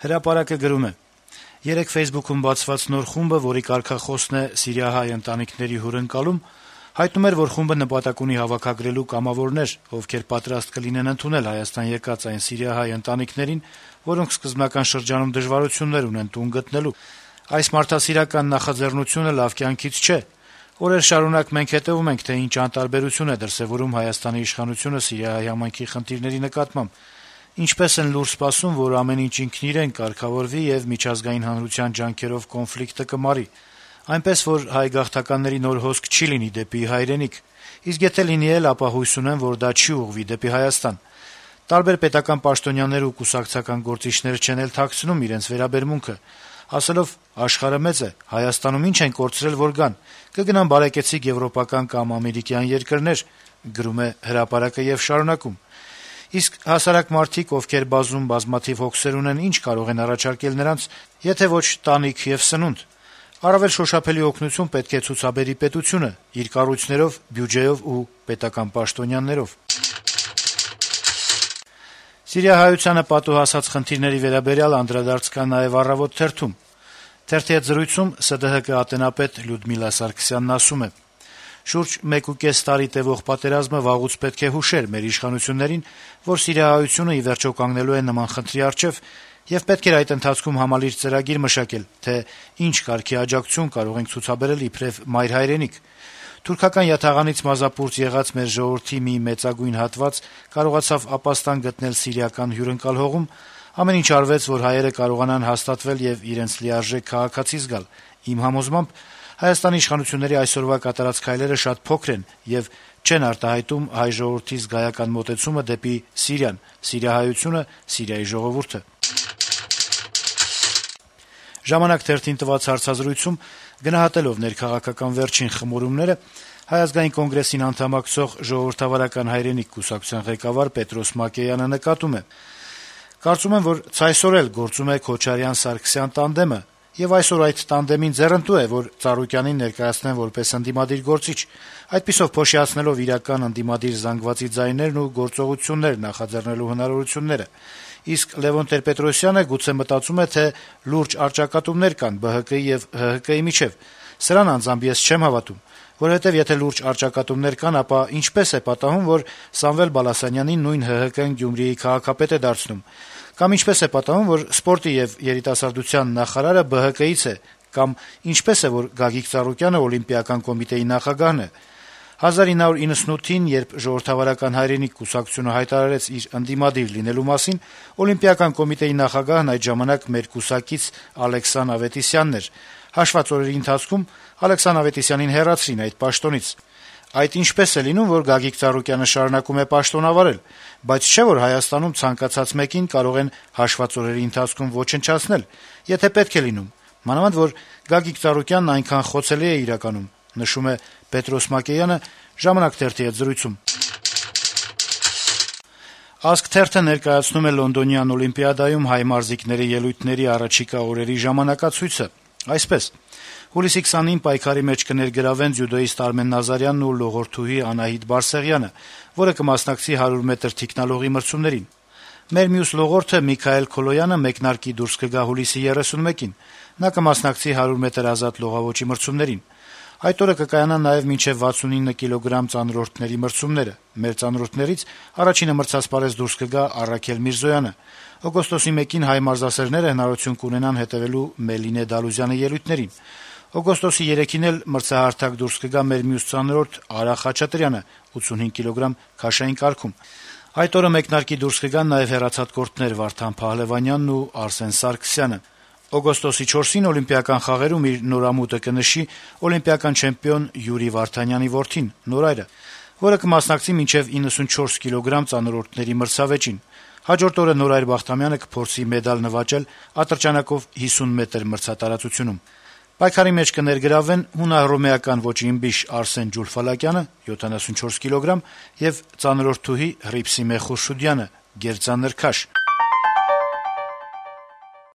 Հրապարակը գրում է. - «Երեկ Facebook-ում բացված նոր խումբը, որի կարգախոսն է սիրիահայ ընտանիքների հյուրընկալում, հայտնում էր, որ խումբը նպատակ ունի հավաքագրելու կամավորներ, ովքեր պատրաստ կլինեն ընդունել Հայաստան եկած այն սիրիահայ ընտանիքներին, որոնք սկզբնական շրջանում դժվարություններ ունեն տուն գտնելու։ Այս մարդասիրական նախաձեռնությունը լավ կյանքից չէ։ Օրեր շարունակ մենք հետեւում ենք, թե ինչ անտարբերություն է դրսեւորում Հայաստանի իշխանությունը սիրիահայ համայնքի խնդիրների նկատմամբ, ինչպես են լուր սպասում, որ ամեն ինչ ինքն իրեն կարգավորվի եւ միջազգային հանրության ջանքերով կոնֆլիկտը կմարի, այնպես որ հայ գաղթականների նոր հոսք չի լինի դեպի հայրենիք, իսկ եթե լինի էլ, ապա հույս ունեմ, որ դա չի ուղղվի դեպի Հայաստան։ Տարբեր պետական պաշտոնյաներ ու կուսակցական գործիչներ չեն էլ թաքցնում իրենց վերաբերմունքը, ասելով աշխարհը մեծ է, Հայաստանում ինչ են կորցրել, որ գան, կգնան բարեկեցիկ եվրոպական կամ ամերիկյան երկրներ, գրում է հրապարակը եւ շարունակում. իսկ հասարակ մարդիկ, ովքեր բազում բազմաթիվ հոգսեր ունեն, ինչ կարող են առաջարկել նրանց, եթե ոչ տանիք եւ սնունդ։ Առավել շոշափելի օգնություն պետք է ցուցաբերի պետությունը իր կառույցներով, բյուջեով ու պետական պաշտոնյաներով»։ Սիրիահայությանը պատուհասած խնդիրների վերաբերյալ անդրադարձ կա նաեւ «Առավոտ» թերթում։ Թերթի հետ զրույցում ՍԴՀԿ ատենապետ Լյուդմիլա Սարգսյանն ասում է. - «Շուրջ 1.5 տարի տեւող պատերազմը վաղուց պետք է հուշեր մեր իշխանություններին, որ սիրիահայությունը ի վերջո կանգնելու է նման խնդրի առջեւ, եւ պետք էր այդ ընթացքում համալիրճ ծրագիր մշակել, թե ինչ կարգի աջակցություն կարող ենք ցուցաբերել իբրեւ մայր հայրենիք։ Թուրքական յաթաղանից մազապուրծ եղած մեր ժողովրդի մի մեծագույն հատված կարողացավ ապաստան գտնել սիրիական հյուրընկալ հողում, ամեն ինչ արվեց, որ հայերը կարողանան հաստատվել եւ իրենց լիարժեք քաղաքացի զգալ։ Իմ համոզմամբ Հայաստանի իշխանությունների այսօրվա կատարած քայլերը շատ փոքր են եւ չեն արտահայտում հայ ժողովրդի զգայական մոտեցումը դեպի Սիրիան, սիրիահայությունը, Սիրիայի ժողովուրդը»։ «Ժամանակ» թերթին տված հարցազրույցում, գնահատելով ներքաղաքական վերջին խմորումները, Հայ ազգային կոնգրեսին անդամակցող Ժողովրդավարական հայրենիք կուսակցության ղեկավար Պետրոս Մակեյանը նկատում է. - «Կարծում եմ, որ ցայսօր էլ գործում է Քոչարյան-Սարգսյան տանդեմը, եւ այսօր այդ տանդեմին ձեռնտու է, որ Ծառուկյանին ներկայացնեն որպես ընդդիմադիր գործիչ, այդպիսով փոշիացնելով իրական ընդդիմադիր զանգվածի ձայներն ու գործողություններ նախաձեռնելու հնարավորությունները։ Իսկ Լեւոն Տեր-Պետրոսյանը գուցե մտածում է, թե լուրջ առճակատումներ կան ԲՀԿ-ի եւ ՀՀԿ-ի միջեւ։ Սրան անձամբ ես չեմ հավատում, որովհետեւ եթե լուրջ առճակատումներ կան, ապա ինչպես է պատահում, որ Սամվել Բալասանյանին նույն ՀՀԿ-ն Գյումրիի քաղաքապետ է դարձնում։ Կամ ինչպես է պատահում, որ սպորտի եւ երիտասարդության նախարարը ԲՀԿ-ից է, կամ ինչպես է, որ Գագիկ Ծառուկյանը Օլիմպիական կոմիտեի նախագահն է։ 1998-ին, երբ Ժողովրդավարական հայրենիք կուսակցությունը հայտարարեց իր ընդդիմադիր լինելու մասին, Օլիմպիական կոմիտեի նախագահն այդ ժամանակ մեր կուսակից Ալեքսան Ավետիսյանն էր։ Հաշված օրերի ընթացքում Ալեքսան Ավետիսյանին հեռացրին այդ պաշտոնից։ Այդ ինչպես է լինում, որ Գագիկ Ծառուկյանը շարունակում է պաշտոնավարել, բայց չէ՞ որ Հայաստանում ցանկացած մեկին կարող են հաշված օրերի ընթացքում ոչնչացնել, եթե պետք է լինում, մանավանդ որ Գագիկ Ծառուկյանն այնքան խոցելի է իրականում», նշում է Պետրոս Մակեյանը «Ժամանակ» թերթի հետ զրույցում։ «Ազգ» թերթը ներկայացնում է Լոնդոնյան օլիմպիադայում հայ մարզիկների ելույթների առաջիկա օրերի ժամանակացույցը։ Այսպես. հուլիսի 20-ին պայքարի մեջ կներգրավեն ձյուդոիստ Արմեն Նազարյանն ու լողորդուհի Անահիտ Բարսեղյանը, որը կմասնակցի 100 մետր թիկնալողի մրցումներին։ Մեր մյուս լողորդը Միքայել Քոլոյանը մեկնարկի դուրս կգա հուլիսի 31-ին։ Նա կմասնակցի 100 մետր ազատ լողավոճի մրցումներին։ Այդ օրը կկայանան նաեւ մինչեւ 69 կիլոգրամ ծանրորդների մրցումները։ Մեր ծանրորդներից առաջինը մրցասպարեզ դուրս կգա Առաքել Միրզոյանը։ Օգոստոսի 1-ին հայ մարզասերները հնարավորություն կունենան հետեւելու Մելինե Դալուզյանի ելույթներին։ Օգոստոսի 3-ին էլ մրցահարթակ դուրս կգա մեր մյուս ծանրորդ Արա Խաչատրյանը 85 կիլոգրամ քաշային կարգում։ Այդ օրը մեկնարկի դուրս կգան նաեւ հեռացած կորտներ Վարդան Փահլևանյանն ու Արսեն Սարգսյանը։ Օգոստոսի 4-ին Օլիմպիական խաղերում իր նորամուտը կնշի օլիմպիական չեմպիոն Յուրի Վարդանյանի որդին Նորայրը, որը կմասնակցի մինչեւ 94 կիլոգրամ ծանրորդների մրցավեճին։ Հաջորդ օրը Նորայր Բախտամյանը կփորձի մեդալ նվաճել ատրճանակով 50 մետր մրցատարածությունում։ Պայքարի մեջ կներգրավվեն հունահռոմեական ոճի ըմբիշ Արսեն Ջուլֆալակյանը 74 կիլոգրամ եւ ծանրորդուհի Հռիփսիմե Խուրշուդյանը գերծանր քաշ։